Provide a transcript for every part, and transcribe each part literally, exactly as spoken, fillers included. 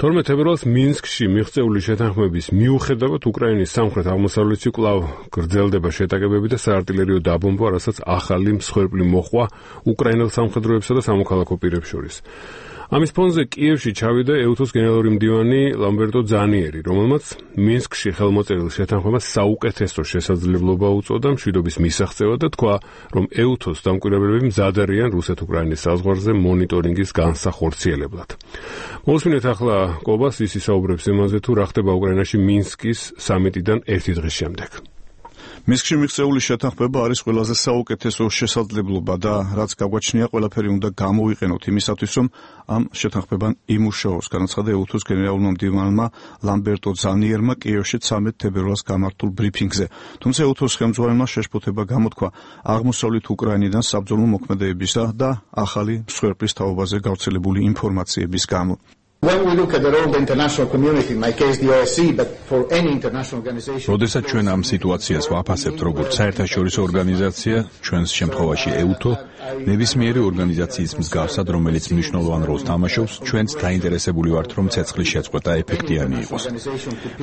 თორმეტ თებერვალს მინსკში მიღწეული შეთანხმების მიუხედავად უკრაინის სამხრეთ-აღმოსავლეთში კვლავ გრძელდება შეტაკებები და საარტილერიო დაბომბვა, რასაც ახალი მსხვერპლი მოჰყვა უკრაინელ სამხედროებსა და სამოქალაქო პირებს შორის. ამის ფონზე კიევში ჩავიდა ეუთოს გენერალური მდივანი ლამბერტო ძანიერი, რომელმაც მინსკში ხელმოწერილ შეთანხმებას საუკეთესო შესაძლებლობა უწოდა მშვიდობის მისაღწევად და თქვა, რომ ეუთოს დამკვირვებლები მზად არიან რუსეთ-უკრაინის საზღვარზე მონიტორინგის განსახორციელებლად. მოვუსმინეთ ახლა კობას, ის ისაუბრებს იმაზე, თუ რა ხდება უკრაინაში მინსკის სამიტიდან ერთი დღის შემდეგ. მინსკში მიღწეული შეთანხმება არის ყველაზე საუკეთესო შესაძლებლობა და რაც გაგვაჩნია, ყველაფერი უნდა გამოვიყენოთ იმისათვის, რომ ამ შეთანხმებამ იმუშაოს, განაცხადა ეუთოს გენერალურმა მდივანმა ლამბერტო ძანიერმა კიევში ცამეტ თებერვალს გამართულ ბრიფინგზე. თუმცა ეუთოს ხელმძღვანელმა შეშფოთება გამოთქვა აღმოსავლეთ უკრაინიდან საბრძოლო მოქმედებისა და ახალი მსხვერპლის თაობაზე გავრცელებული ინფორმაციების გამო. When we look at the role of the international community, in my case the O S C E, but for any international organization. როდესაც ჩვენ ამ სიტუაციას ვაფასებთ როგორც საერთაშორისო ორგანიზაცია, ჩვენს შემთხვევაში ეუთო, ნებისმიერი ორგანიზაციის მსგავსად, რომელიც მნიშვნელოვან როლს თამაშობს, ჩვენც დაინტერესებული ვართ, რომ ცეცხლის შეწყვეტა ეფექტიანი იყოს.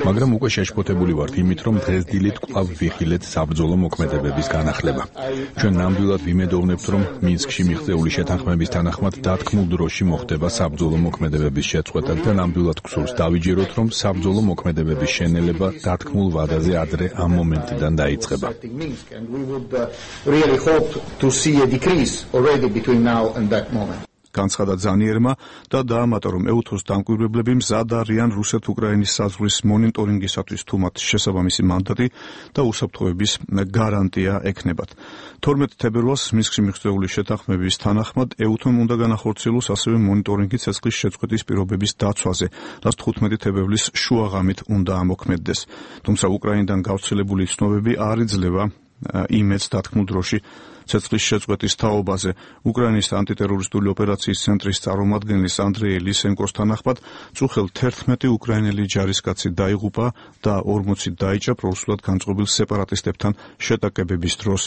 მაგრამ უკვე შეშფოთებული ვართ იმით, რომ დღესდილით კვლავ ვიხილეთ საბრძოლო მოქმედებების განახლება. ჩვენ ნამდვილად ვიმედოვნებთ, რომ მინსკში მიღწეული შეთანხმების თანახმად დათქმულ დროში მოხდება საბრძოლო მოქმედებების შეწყვეტა. და ნამდვილად გსურს დავიჯეროთ, რომ საბრძოლო მოქმედებების შენელება დათქმულ ვადაზე ადრე ამ მომენტიდან დაიწყება. განცხადა ძანიერმა და დაამატა, რომ ეუთოს დამკვირვებლები მზად არიან რუსეთ-უკრაინის საზღვრის მონიტორინგისათვის, თუ მათ შესაბამისი მანდატი და უსაფრთხოების გარანტია ექნებათ. თორმეტ თებერვალს მინსკში მიღწეული შეთანხმების თანახმად ეუთომ უნდა განახორციელოს ასევე მონიტორინგი ცეცხლის შეწყვეტის პირობების დაცვაზე, რაც თხუთმეტი თებერვლის შუაღამით უნდა ამოქმედდეს. თუმცა უკრაინიდან გავრცელებული ცნობები არ იძლევა იმედს დათქმულ დროში ცეცხლის შეწყვეტის თაობაზე. უკრაინის ანტიტერორისტული ოპერაციის ცენტრის წარმომადგენლის ანდრეი ლისენკოს თანახმად, წუხელ თერთმეტი უკრაინელი ჯარისკაცი დაიღუპა და ორმოცი დაიჭრა პრორუსულად განწყობილ სეპარატისტებთან შეტაკებების დროს.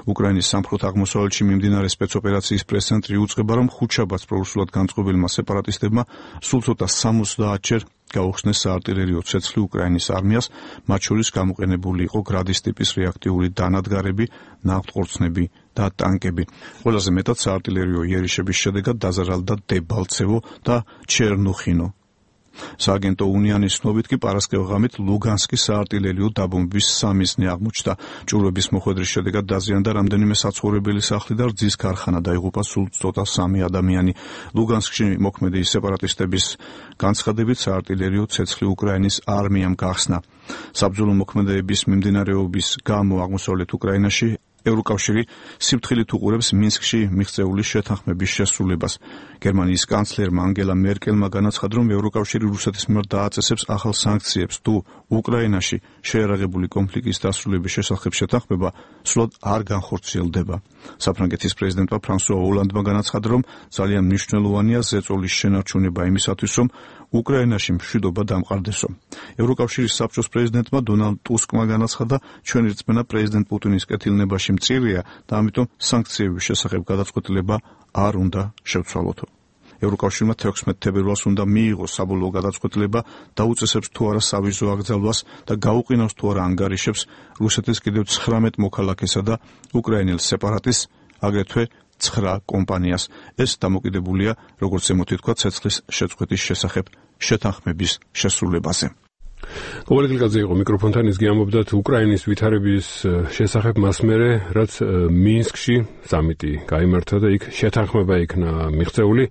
უკრაინის სამხრეთ-აღმოსავლეთში მიმდინარე სპეცოპერაციის პრეს-ცენტრი უწყება, რომ ხუთშაბათს პრორუსულად განწყობილმა სეპარატისტებმა სულ ცოტა სამოცდაათჯერ გაუხსნეს საარტილერიო ცეცხლი უკრაინის არმიას, მათ შორის გამოყენებული იყო გრადის ტიპის რეაქტიული დანადგარები, ნავთყორცნები და ტანკები. ყველაზე მეტად საარტილერიო იერიშების შედეგად დაზარალდა დებალცევო და ჩერნუხინო. სააგენტო უნიანის ცნობით კი პარასკევღამით ლუგანსკის საარტილერიო დაბომბვის სამიზნე აღმოჩნდა. ჭურვების მოხვედრის შედეგად დაზიანდა რამდენიმე საცხოვრებელი სახლი და რძის ქარხანა, დაიღუპა სულ ცოტა სამი ადამიანი. ლუგანსკში მოქმედი სეპარატისტების განცხადებით საარტილერიო ცეცხლი უკრაინის არმიამ გახსნა. საბრძოლო მოქმედებების მიმდინარეობის გამო აღმოსავლეთ უკრაინაში ევროკავშირი სიფრთხილით უყურებს მინსკში მიღწეული შეთანხმების შესრულებას. გერმანიის კანცლერმა ანგელა მერკელმა განაცხადა, რომ ევროკავშირი რუსეთის მიმართ დააწესებს ახალ სანქციებს, თუ უკრაინაში შეიარაღებული კონფლიქტის დასრულების შესახებ შეთანხმება სრულად არ განხორციელდება. საფრანგეთის პრეზიდენტმა ფრანსუა ოლანდმა განაცხადა, რომ ძალიან მნიშვნელოვანია ზეწოლის შენარჩუნება იმისათვის, რომ უკრაინაში მშვიდობა დამყარდესო. ევროკავშირის საბჭოს პრეზიდენტმა დონალდ ტუსკმა განაცხადა, ჩვენი რწმენა პრეზიდენტ პუტინის კეთილნებაში მწირია და ამიტომ სანქციების შესახებ გადაწყვეტილება არ უნდა შევცვალოთო. ევროკავშირმა თექვსმეტ თებერვალს უნდა მიიღოს საბოლოო გადაწყვეტილება და უწესებს თუ არა სავიზო აკრძალვას და გაუყინავს თუ არა ანგარიშებს რუსეთის კიდევ ცხრამეტ მოქალაქესა და უკრაინელ სეპარატისტს, აგრეთვე ცხრა კომპანიას. ეს დამოკიდებულია, როგორც ზემოთი თქვა, ცეცხლის შეწყვეტის შესახებ შეთანხმების შესრულებაზე. კობალე გილკაძე იყო მიკროფონთან, ის გიამბობდა უკრაინის ვითარების შესახებ მას მერე, რაც მინსკში სამიტი გაიმართა და იქ შეთანხმება იქნა მიღწეული.